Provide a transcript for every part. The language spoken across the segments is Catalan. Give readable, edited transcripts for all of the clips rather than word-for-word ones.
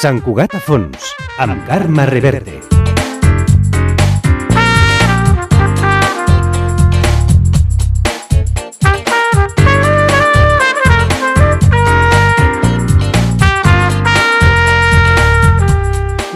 Sant Cugat a fons, amb Carme Reverte.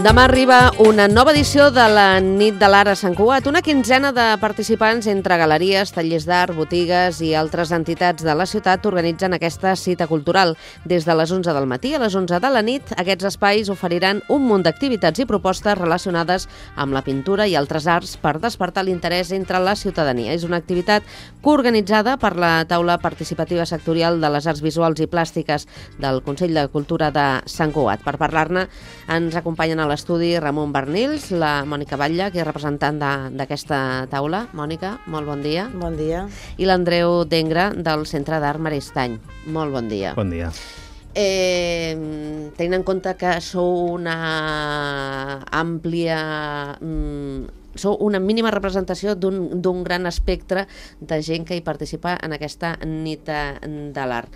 Demà arriba una nova edició de la Nit de l'Art a Sant Cugat, una quinzena de participants entre galeries, tallers d'art, botigues i altres entitats de la ciutat organitzen aquesta cita cultural. Des de les 11 del matí a les 11 de la nit, aquests espais oferiran un munt d'activitats i propostes relacionades amb la pintura i altres arts per despertar l'interès entre la ciutadania. És una activitat coorganitzada per la taula participativa sectorial de les arts visuals i plàstiques del Consell de Cultura de Sant Cugat. Per parlar-ne ens acompanyen a l'estudi Ramon Bernils, la Mònica Batlle, que és representant d'aquesta taula. Mònica, molt bon dia. Bon dia. I l'Andreu Dengra, del Centre d'Art Maristany. Molt bon dia. Bon dia. Tenint en compte que sou una àmplia... sou una mínima representació d'un gran espectre de gent que hi participa en aquesta nit de l'art.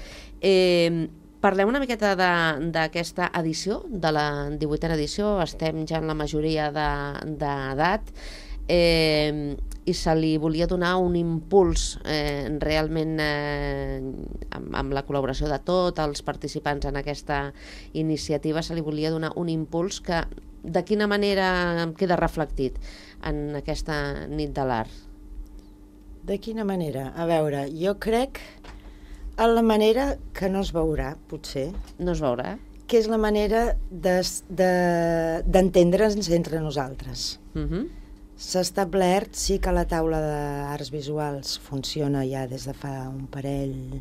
Parlem una miqueta d'aquesta edició, de la 18a edició. Estem ja en la majoria d'edat i se li volia donar un impuls realment amb la col·laboració de tots els participants en aquesta iniciativa. Se li volia donar un impuls que de quina manera queda reflectit en aquesta nit de l'art? De quina manera? A veure, jo crec a la manera que no es veurà, potser. No es veurà? Que és la manera d'entendre'ns entre nosaltres. S'ha establert, sí que la taula d'arts visuals funciona ja des de fa un parell?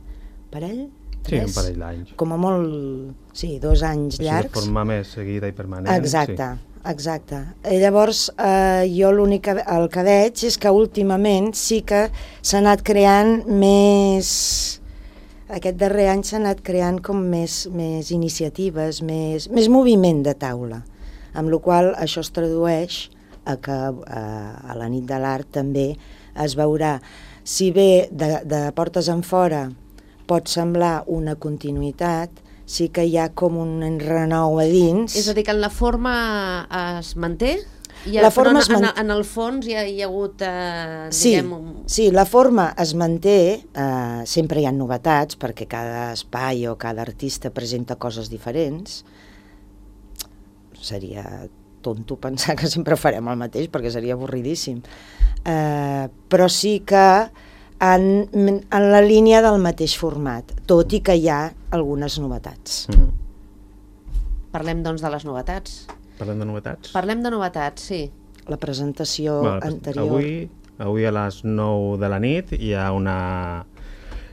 Sí, un parell d'anys. Com a molt, sí, 2 anys llargs. Així de forma més seguida i permanent. Exacte, sí. Exacte. Llavors, jo el que veig és que últimament sí que s'ha anat creant més... Aquest darrer any s'ha anat creant com més iniciatives, més moviment de taula, amb la qual cosa això es tradueix a que a la nit de l'art també es veurà. Si bé de portes enfora pot semblar una continuïtat, sí que hi ha com un renou a dins. És a dir, que en la forma es manté? En el fons hi ha hagut, diguem... Sí, la forma es manté, sempre hi ha novetats, perquè cada espai o cada artista presenta coses diferents. Seria tonto pensar que sempre farem el mateix, perquè seria avorridíssim. Però sí que en la línia del mateix format, tot i que hi ha algunes novetats. Parlem, doncs, de les novetats. Parlem de novetats? Parlem de novetats, sí. La presentació anterior. Avui a les 9 de la nit hi ha una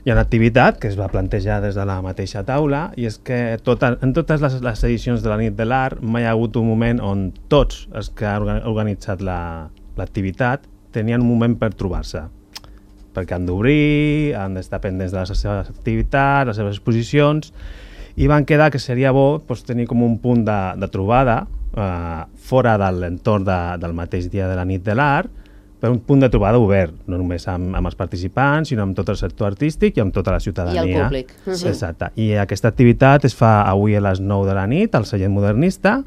activitat que es va plantejar des de la mateixa taula, i és que en totes les edicions de la nit de l'art mai ha hagut un moment on tots els que han organitzat l'activitat tenien un moment per trobar-se, perquè han d'obrir, han d'estar pendents de les seves activitats, les seves exposicions, i van quedar que seria bo tenir com un punt de trobada fora de l'entorn del mateix dia de la nit de l'art, per un punt de trobada obert, no només amb els participants, sinó amb tot el sector artístic i amb tota la ciutadania. I el públic. Exacte. I aquesta activitat es fa avui a les 9 de la nit al Celler Modernista,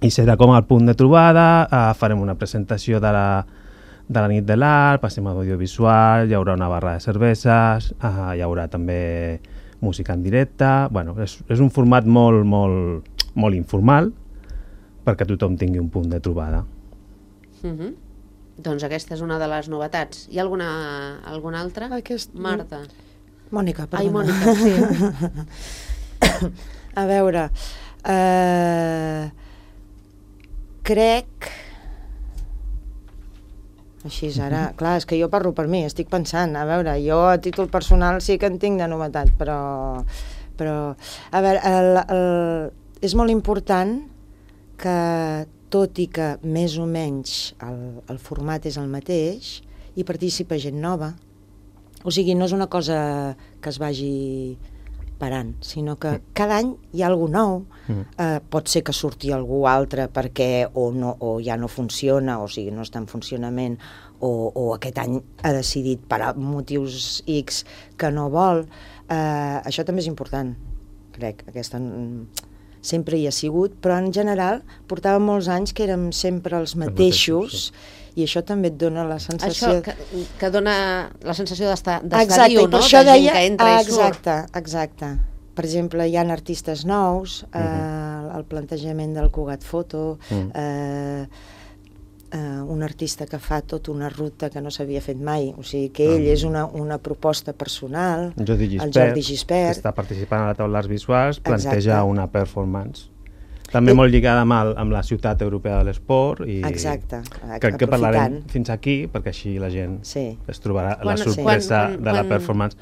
i serà com el punt de trobada. Farem una presentació de la nit de l'art, passem a l'audiovisual, hi haurà una barra de cerveses, hi haurà també música en directe. Bueno, és un format molt informal, perquè tothom tingui un punt de trobada. Doncs aquesta és una de les novetats. Hi ha alguna altra? Marta. Mònica, perdona. Ai, Mònica, sí. A veure, crec... Així ara, clar, és que jo parlo per mi, estic pensant, a veure, jo a títol personal sí que en tinc de novetat, però a veure, és molt important que, tot i que més o menys el format és el mateix, hi participa gent nova. O sigui, no és una cosa que es vagi parant, sinó que cada any hi ha algú nou. Pot ser que surti algú altre perquè o ja no funciona, o sigui, no està en funcionament, o aquest any ha decidit per motius X que no vol. Això també és important, crec. sempre hi ha sigut, però en general portàvem molts anys que érem sempre els mateixos, i això també et dona la sensació... Això que dona la sensació d'estar exacte, viu, no? Per això de deia... gent que entra i surt. Exacte. Per exemple, hi ha artistes nous, el plantejament del Cugat Foto, un artista que fa tota una ruta que no s'havia fet mai, o sigui que ell és una proposta personal, el Jordi Gispert, que està participant a la taula d'arts visuals, planteja una performance també molt lligada amb la ciutat europea de l'esport, i crec que parlarem fins aquí, perquè així la gent es trobarà la sorpresa de la performance.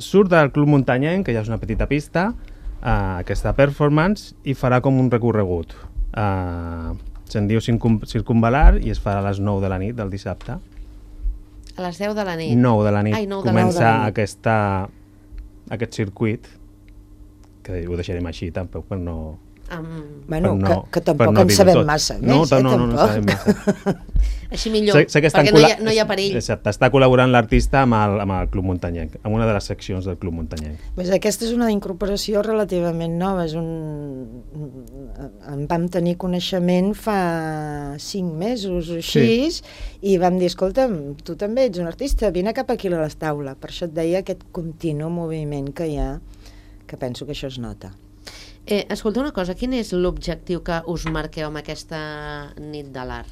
Surt del Club Muntanyenc, que ja és una petita pista, aquesta performance, i farà com un recorregut. Se'n diu Circumvalar i es farà a les 9 de la nit del dissabte. A les 10 de la nit? 9 de la nit. Comença aquest circuit, que ho deixarem així, tampoc per no... Bueno, que tampoc en sabem massa més, no sabem massa. Així millor, perquè no hi ha perill. Exacte, està col·laborant l'artista amb el Club Muntanyenc, amb una de les seccions del Club Muntanyenc. Aquesta és una incorporació relativament nova. En vam tenir coneixement fa 5 mesos o així, i vam dir, escolta'm, tu també ets un artista, vine cap aquí a la taula. Per això et deia aquest continu moviment que hi ha, que penso que això es nota. Escolta una cosa, quin és l'objectiu que us marqueu amb aquesta nit de l'art?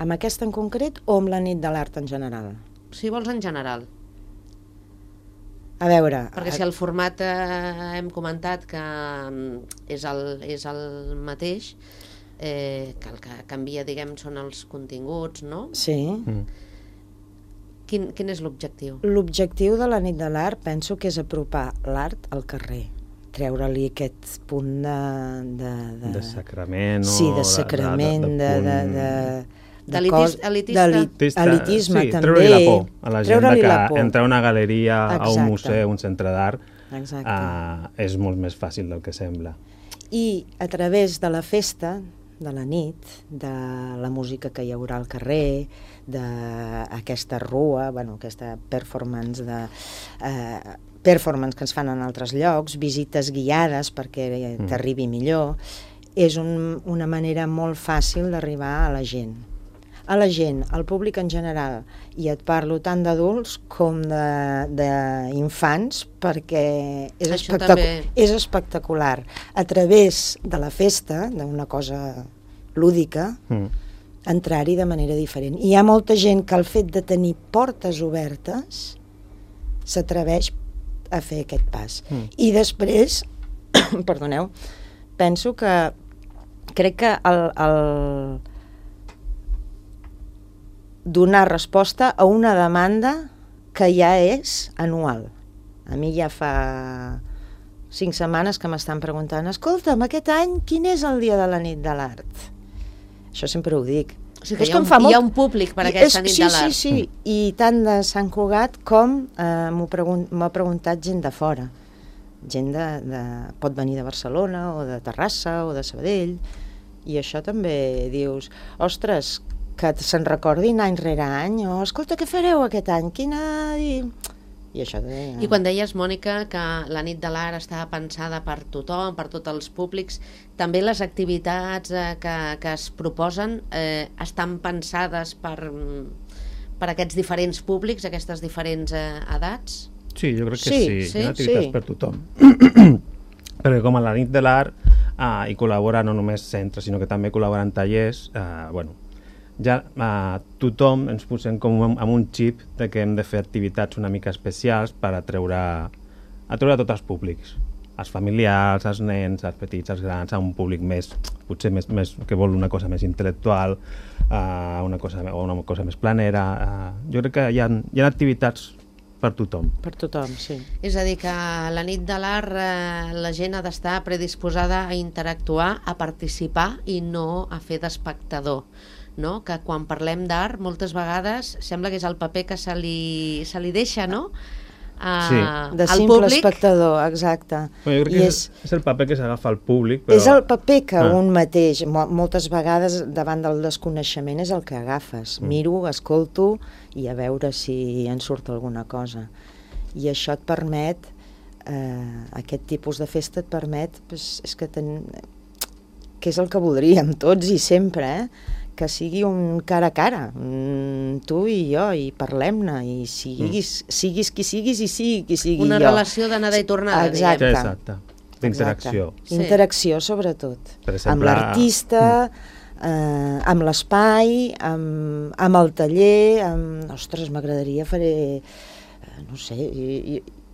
Amb aquesta en concret o amb la nit de l'art en general? Si vols en general. A veure... Perquè si el format hem comentat que és el mateix, que el que canvia, diguem, són els continguts, no? Sí. Quin és l'objectiu? L'objectiu de la nit de l'art penso que és apropar l'art al carrer, treure-li aquest punt de sacrament, sí, de sacrament, d'elitisme també, treure-li la por a la gent que entrar a una galeria, a un museu, un centre d'art, és molt més fàcil del que sembla. I a través de la festa, de la nit, de la música que hi haurà al carrer, d'aquesta rua, aquesta performance que ens fan en altres llocs, visites guiades perquè t'arribi millor, és una manera molt fàcil d'arribar a la gent. Al públic en general, i et parlo tant d'adults com d'infants, perquè és espectacular. A través de la festa, d'una cosa lúdica, entrar-hi de manera diferent. Hi ha molta gent que el fet de tenir portes obertes s'atreveix a fer aquest pas. I després, perdoneu, penso que crec que el donar resposta a una demanda que ja és anual. A mi ja fa 5 setmanes que m'estan preguntant, escolta'm, aquest any quin és el dia de la nit de l'art? Això sempre ho dic. O sigui que hi ha un públic per aquesta nit de l'art. Sí, i tant de Sant Cugat com m'ha preguntat gent de fora. Gent pot venir de Barcelona o de Terrassa o de Sabadell, i això també dius, ostres, que se'n recordin any rere any, o escolta, què fareu aquest any? I això I quan deies, Mònica, que la nit de l'art està pensada per tothom, per tots els públics, també les activitats que es proposen estan pensades per aquests diferents públics, aquestes diferents edats? Sí, jo crec que sí. Hi ha activitats per tothom. Perquè com a la nit de l'art hi col·labora no només centres, sinó que també col·laboren tallers, ja tothom ens posem com amb un xip de que hem de fer activitats una mica especials per atreure tots els públics, els familiars, els nens, els petits, els grans, a un públic potser més que vol una cosa més intel·lectual, una cosa més planera. Jo crec que hi ha activitats per tothom. Per tothom, sí. És a dir, que a la nit de l'art la gent ha d'estar predisposada a interactuar, a participar i no a fer d'espectador. No? Que quan parlem d'art moltes vegades sembla que és el paper que se li deixa, no? De simple espectador, exacte. Jo crec que és el paper que s'agafa al públic, però... És el paper que un mateix, moltes vegades davant del desconeixement és el que agafes. Miro, escolto i a veure si en surt alguna cosa. I això et permet aquest tipus de festa et permet, és que és el que voldríem tots i sempre, que sigui un cara a cara, tu i jo, i parlem-ne, i siguis qui siguis i sigui qui sigui Una jo. relació d'anada i tornada, Exacte. diguem. Exacte. D'interacció. Sí. Interacció, sobretot. Per exemple, amb l'artista, amb l'espai, amb el taller, ostres, m'agradaria faré, no sé,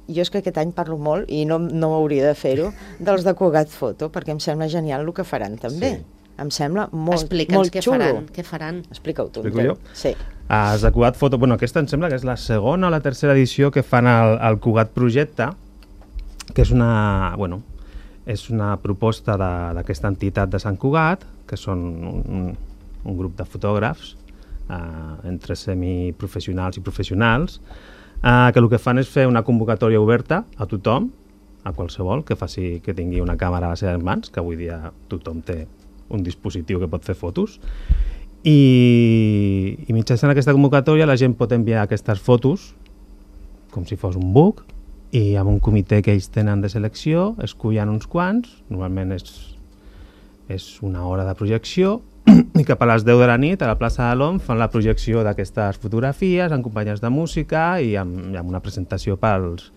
jo és que aquest any parlo molt i no hauria de fer-ho, dels de Cugat Foto, perquè em sembla genial el que faran també. Sí. Em sembla molt Explica'ns què xulo. què faran. Explica-ho tu. Explico jo? Sí. Els de Cugat Foto, bueno, aquesta em sembla que és la segona o la tercera edició que fan el Cugat Projecte, que és una proposta d'aquesta entitat de Sant Cugat, que són un grup de fotògrafs, entre semiprofessionals i professionals, que el que fan és fer una convocatòria oberta a tothom, a qualsevol que tingui una càmera a les seves mans, que avui dia tothom té un dispositiu que pot fer fotos, i mitjançant aquesta convocatòria la gent pot enviar aquestes fotos com si fos un book, i amb un comitè que ells tenen de selecció escullen uns quants, normalment és una hora de projecció, i cap a les 10 de la nit a la plaça de l'OM fan la projecció d'aquestes fotografies en companyies de música i amb una presentació pels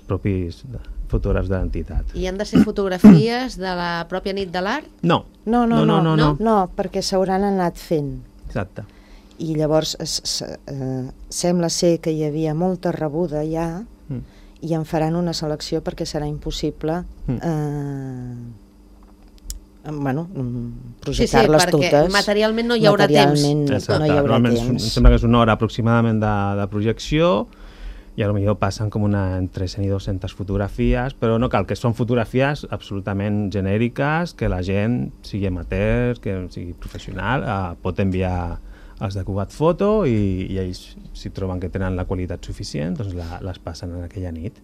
propis fotògrafs de l'entitat. I han de ser fotografies de la pròpia nit de l'art? No, perquè s'hauran anat fent. exacte. I llavors sembla ser que hi havia molta rebuda ja i en faran una selecció perquè serà impossible projectar-les totes. Perquè materialment no hi haurà temps. Normalment em sembla que és una hora aproximadament de projecció i potser passen com entre 100 i 200 fotografies, però no cal, que són fotografies absolutament genèriques, que la gent, sigui amateur, que sigui professional, pot enviar els de Cugat Foto i ells, si troben que tenen la qualitat suficient, doncs les passen en aquella nit.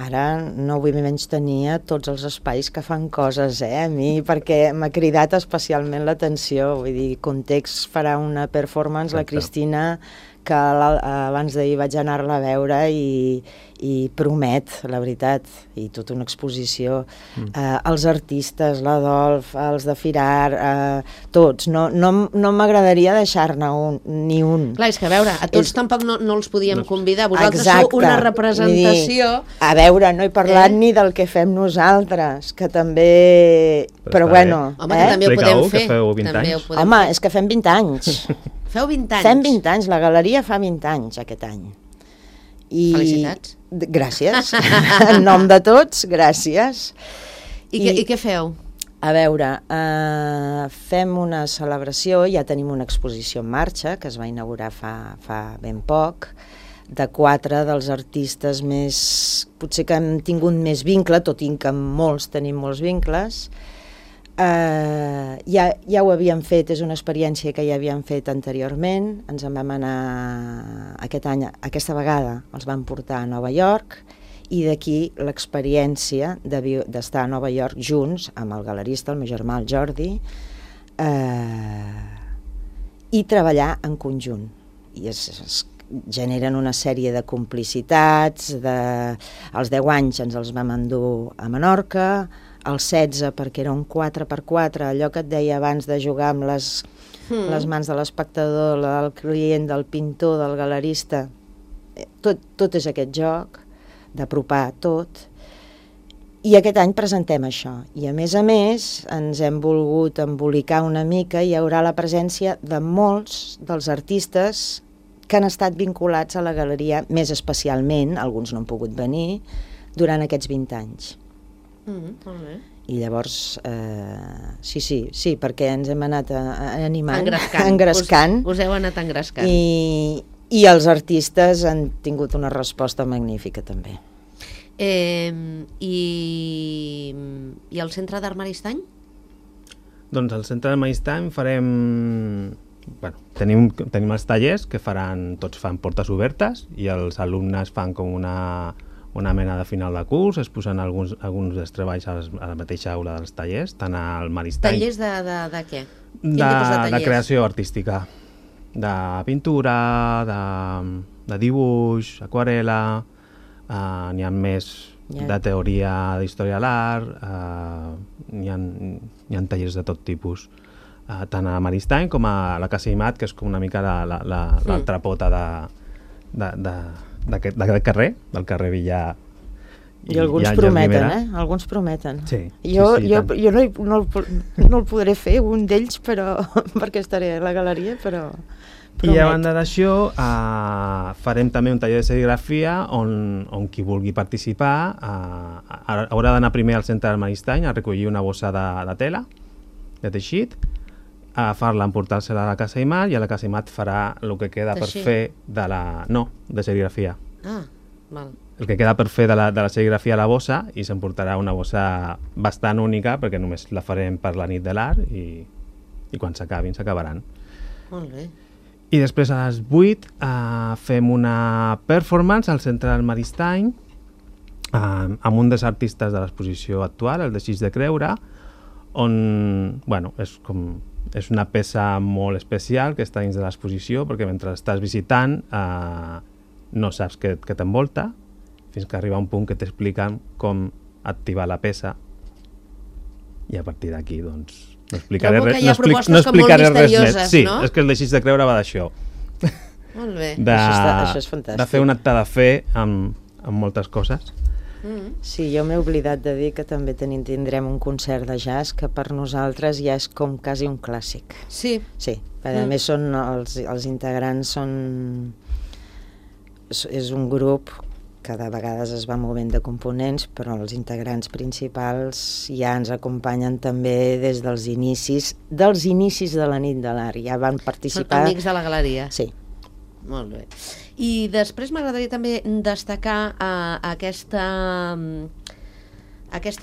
Ara no vull menystenir a tots els espais que fan coses, a mi, perquè m'ha cridat especialment l'atenció. Vull dir, Context farà una performance, la Cristina, que abans d'ahir vaig anar-la a veure i promet, la veritat, i tota una exposició. Els artistes, l'Adolf, els de Firar, tots. No m'agradaria deixar-ne ni un. Clar, és que a veure, a tots tampoc no els podíem convidar. Vosaltres sou una representació... A veure, no he parlat ni del que fem nosaltres, que també... Però bueno... Home, que també ho podem fer. Que feu 20 anys. Home, és que fem 20 anys. Feu 20 anys? Fem 20 anys, la galeria fa 20 anys aquest any. Felicitats. Gràcies. En nom de tots, gràcies. I què feu? A veure, fem una celebració, ja tenim una exposició en marxa, que es va inaugurar fa ben poc, de 4 dels artistes més... potser que hem tingut més vincle, tot i que amb molts tenim molts vincles. Ja ho havíem fet, és una experiència que ja havíem fet anteriorment, ens en vam anar aquest any, aquesta vegada els vam portar a Nova York, i d'aquí l'experiència d'estar a Nova York junts amb el galerista, el meu germà, el Jordi, i treballar en conjunt. I es generen una sèrie de complicitats, els 10 anys ens els vam endur a Menorca, els 16 perquè era un 4x4, allò que et deia abans de jugar amb les mans de l'espectador, del client, del pintor, del galerista, tot és aquest joc, d'apropar tot. I aquest any presentem això. I a més ens hem volgut embolicar una mica i hi haurà la presència de molts dels artistes que han estat vinculats a la galeria, més especialment, alguns no han pogut venir, durant aquests 20 anys. Molt bé. I llavors, sí, perquè ens hem anat animant, engrescant. Us heu anat engrescant. I els artistes han tingut una resposta magnífica també. I el Centre d'Art Maristany? Doncs al Centre d'Art Maristany farem... Bueno, tenim els tallers que tots fan portes obertes i els alumnes fan com una mena de final de curs, es posen alguns dels treballs a la mateixa aula dels tallers, tant al Maristany... Tallers de què? Quin tipus de tallers? De creació artística, de pintura, de dibuix, aquarela, n'hi ha més de teoria d'història de l'art, n'hi ha tallers de tot tipus, tant a Maristany com a la Casa Imat, que és com una mica l'altra pota d'aquest carrer, del carrer Villar. I alguns prometen, Alguns prometen. Sí, jo no el podré fer, un d'ells, però perquè estaré a la galeria, però promet. I a banda d'això, farem també un taller de serigrafia on qui vulgui participar haurà d'anar primer al centre del Maristany a recollir una bossa de tela, de teixit, agafar-la, emportar-se-la a la Casa Imat, i a la Casa Imat farà el que queda per fer de serigrafia. Val. El que queda per fer de la serigrafia a la bossa, i s'emportarà una bossa bastant única, perquè només la farem per la nit de l'art, i quan s'acabaran. Molt bé. I després a les 8 fem una performance al centre del Maristany amb un dels artistes de l'exposició actual, el de Xix de Creure, on és una peça molt especial que està dins de l'exposició, perquè mentre estàs visitant no saps què t'envolta, fins que arriba un punt que t'expliquen com activar la peça, i a partir d'aquí doncs no explicaré res més. Sí, no? És que el de Xix de Creure va d'això. Molt bé. Això és fantàstic. De fer un acte de fe amb moltes coses. Sí, jo m'he oblidat de dir que també tindrem un concert de jazz que per nosaltres ja és com quasi un clàssic. Sí. Sí, a més són els integrants és un grup que de vegades es va movent de components, però els integrants principals ja ens acompanyen també des dels inicis de la nit de l'art, ja van participar. Són amics de la galeria. Sí. Molt bé. I després m'agradaria també destacar aquesta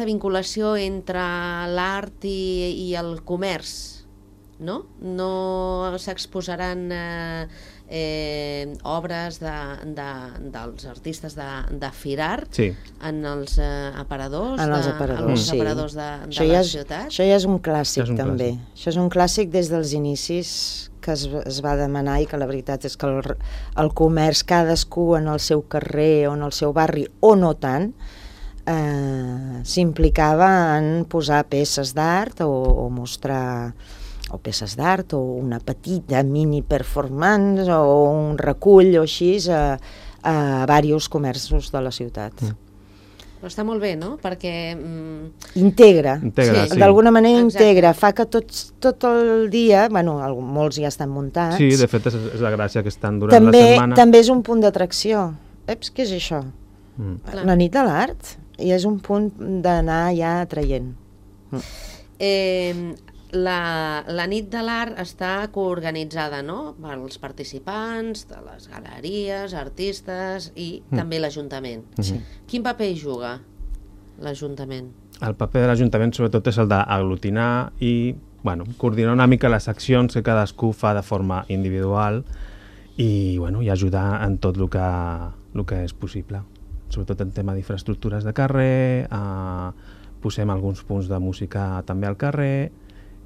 vinculació entre l'art i el comerç, no? No s'exposaran obres dels artistes de Firar en els aparadors de la ciutat. Això ja és un clàssic també. Això és un clàssic des dels inicis que es va demanar, i que la veritat és que el comerç, cadascú en el seu carrer o en el seu barri, o no tant, s'implicava en posar peces d'art o mostrar peces d'art o una petita mini performance o un recull o així a diversos comerços de la ciutat. Però està molt bé, no? Perquè integra, sí. D'alguna manera integra, fa que tot el dia, molts ja estan muntats. Sí, de fet és la gràcia que estan durant la setmana. També és un punt d'atracció. Què és això? La nit de l'art, i és un punt d'anar ja atraient. La nit de l'art està coorganitzada, no?, pels participants de les galeries, artistes i també l'Ajuntament. Quin paper hi juga l'Ajuntament? El paper de l'Ajuntament sobretot és el d'aglutinar i coordinar una mica les accions que cadascú fa de forma individual i ajudar en tot el que és possible. Sobretot en tema d'infraestructures de carrer, posem alguns punts de música també al carrer,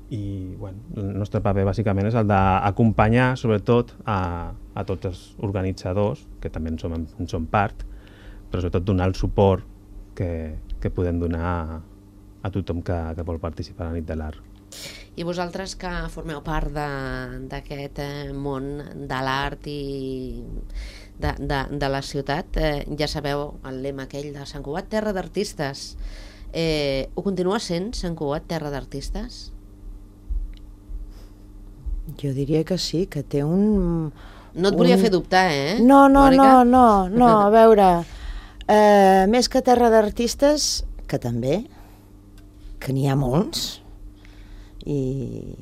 i el nostre paper bàsicament és el d'acompanyar sobretot a tots els organitzadors, que també en som part, però sobretot donar el suport que podem donar a tothom que vol participar a la nit de l'art. I vosaltres que formeu part d'aquest món de l'art i de la ciutat, ja sabeu el lema aquell de Sant Cugat, terra d'artistes. Ho continua sent Sant Cugat, terra d'artistes? Jo diria que sí, que té un... No et volia fer dubtar, No, a veure, més que terra d'artistes, que també, que n'hi ha molts, i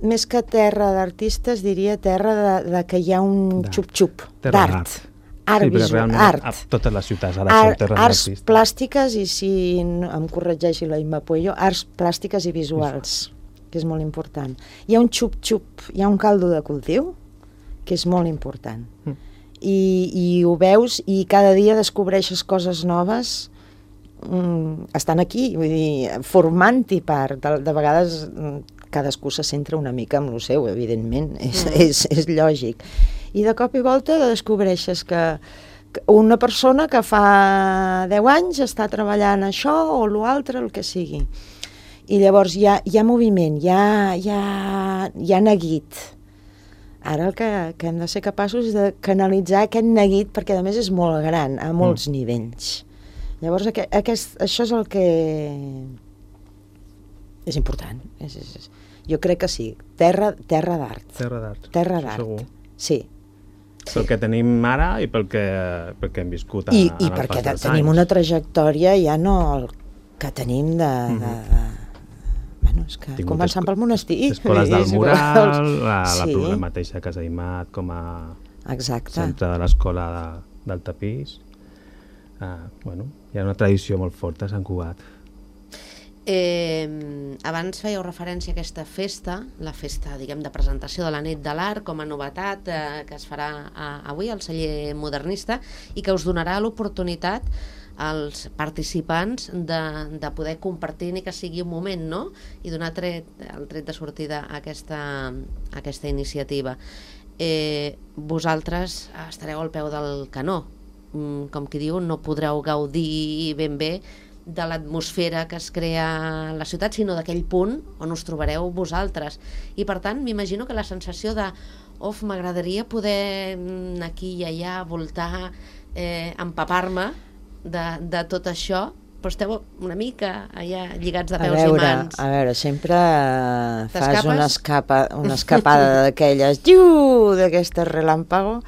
més que terra d'artistes diria terra de que hi ha un xup-xup d'art. Art visual, art. Totes les ciutats ara són terres d'artistes. Arts plàstiques, i si em corregeixi la Imma Puello, arts plàstiques i visuals, que és molt important. Hi ha un xup-xup, hi ha un caldo de cultiu, que és molt important. I ho veus i cada dia descobreixes coses noves, estan aquí, vull dir, formant-hi part. De vegades cadascú se centra una mica en el seu, evidentment, és lògic. I de cop i volta descobreixes que una persona que fa 10 anys està treballant això o l'altre, el que sigui. I llavors hi ha moviment, hi ha neguit. Ara el que hem de ser capaços és de canalitzar aquest neguit, perquè a més és molt gran, a molts nivells. Llavors això és el que és important. Jo crec que sí. Terra d'art. Terra d'art. Segur. Sí. Pel que tenim ara i pel que hem viscut en el pas dels anys. I perquè tenim una trajectòria ja no el que tenim de bueno, és que començant pel monestir. Escoles del mural, la mateixa Casa Imat com a centre de l'escola del tapís. Bueno, hi ha una tradició molt forta a Sant Cugat. Abans fèieu referència a aquesta festa, la festa, diguem, de presentació de la nit de l'art com a novetat que es farà avui al celler modernista i que us donarà l'oportunitat als participants de poder compartir ni que sigui un moment, no? I donar el tret de sortida a aquesta iniciativa. Vosaltres estareu al peu del canó, com qui diu, no podreu gaudir ben bé de l'atmosfera que es crea a la ciutat, sinó d'aquell punt on us trobareu vosaltres. I per tant, m'imagino que la sensació de m'agradaria poder anar aquí i allà, voltar, empapar-me de tot això, però esteu una mica allà lligats de peus i mans. A veure, sempre fas una escapada d'aquelles, d'aquestes relàmpago.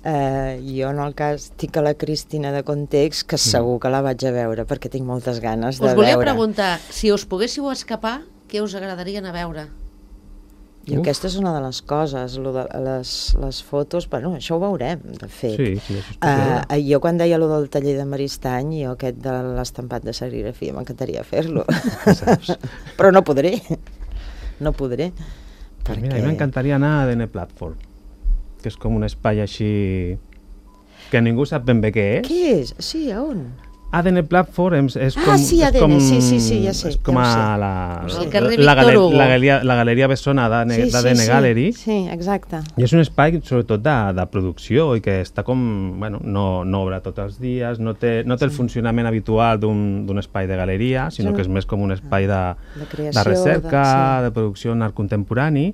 Jo en el cas tinc a la Cristina de Context, que segur que la vaig a veure perquè tinc moltes ganes de veure. Us volia preguntar, si us poguéssiu escapar, què us agradaria anar a veure? I aquesta és una de les coses, les fotos, bueno, això ho veurem, de fet. Sí, jo quan deia allò del taller de Maristany, jo aquest de l'estampat de serigrafia, m'encantaria fer-lo, però no podré. Perquè... Mira, a mi m'encantaria anar a ADN Platform, que és com un espai així que ningú sap ben bé què és. Què és? Sí, a on? ADN Platform és com... sí, ADN, sí, ja sé. És com la galeria Bessona d'ADN Gallery. Sí, exacte. I és un espai, sobretot, de producció i que està com... Bueno, no obre tots els dies, no té el funcionament habitual d'un espai de galeria, sinó que és més com un espai de recerca, de producció en art contemporani.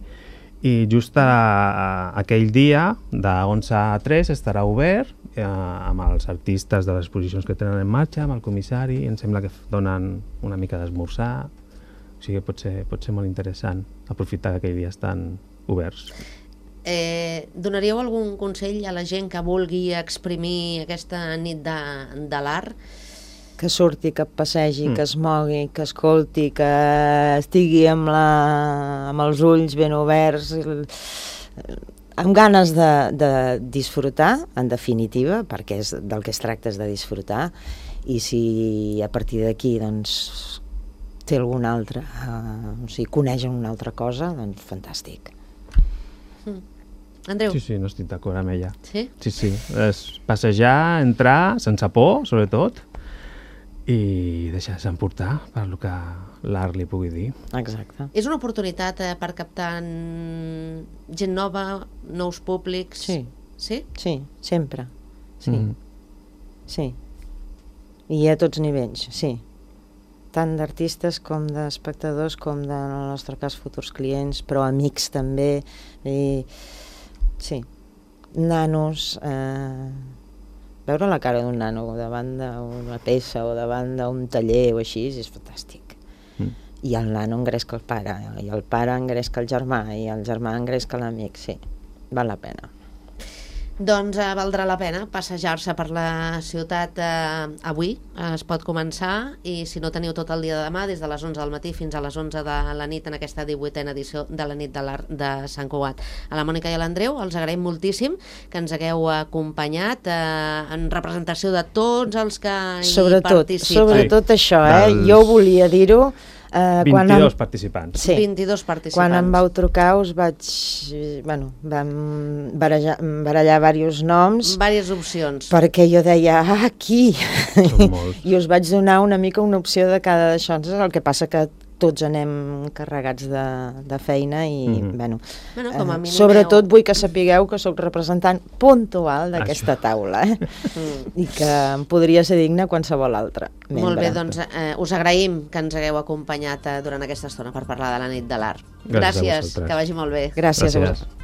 I just aquell dia, de 11 a 3, estarà obert amb els artistes de les exposicions que tenen en marxa, amb el comissari, i em sembla que donen una mica d'esmorzar. O sigui, pot ser molt interessant aprofitar que aquell dia estan oberts. Donaríeu algun consell a la gent que vulgui exprimir aquesta nit de l'art? Que surti, que passegi, que es mogui, que escolti, que estigui amb els ulls ben oberts, amb ganes de disfrutar, en definitiva, perquè del que es tracta és de disfrutar, i si a partir d'aquí doncs, té algun altre, o sigui, coneix una altra cosa, doncs fantàstic. Andreu? Sí, no estic d'acord amb ella. Sí? Sí, és passejar, entrar, sense por, sobretot, i deixar-se emportar per el que l'art li pugui dir. Exacte. És una oportunitat per captar gent nova, nous públics? Sí. Sí? Sí, sempre. Sí. Sí. I a tots nivells, sí. Tant d'artistes com d'espectadors, com de, en el nostre cas, futurs clients, però amics també. Sí. Nanos... Veure la cara d'un nano davant d'una peça o davant d'un taller o així és fantàstic. I el nano engresca el pare, i el pare engresca el germà, i el germà engresca l'amic, sí, val la pena. Doncs valdrà la pena passejar-se per la ciutat avui, es pot començar, i si no teniu tot el dia de demà, des de les 11 del matí fins a les 11 de la nit en aquesta 18a edició de la nit de l'art de Sant Cugat. A la Mònica i a l'Andreu els agraïm moltíssim que ens hagueu acompanyat en representació de tots els que hi participen. Sobretot això, jo volia dir-ho. 22 participants. Sí. 22 participants. Quan em vau trucar us vaig... Bueno, vam barallar diversos noms. Vàries opcions. Perquè jo deia, aquí! I us vaig donar una mica una opció de cada d'això. El que passa que tots anem carregats de feina i, bueno, com a mínim sobretot vull que sapigueu que sóc representant puntual d'aquesta taula, i que em podria ser digne qualsevol altre membre. Molt bé, doncs us agraïm que ens hagueu acompanyat durant aquesta estona per parlar de la nit de l'art. Gràcies, que vagi molt bé. Gràcies a vosaltres.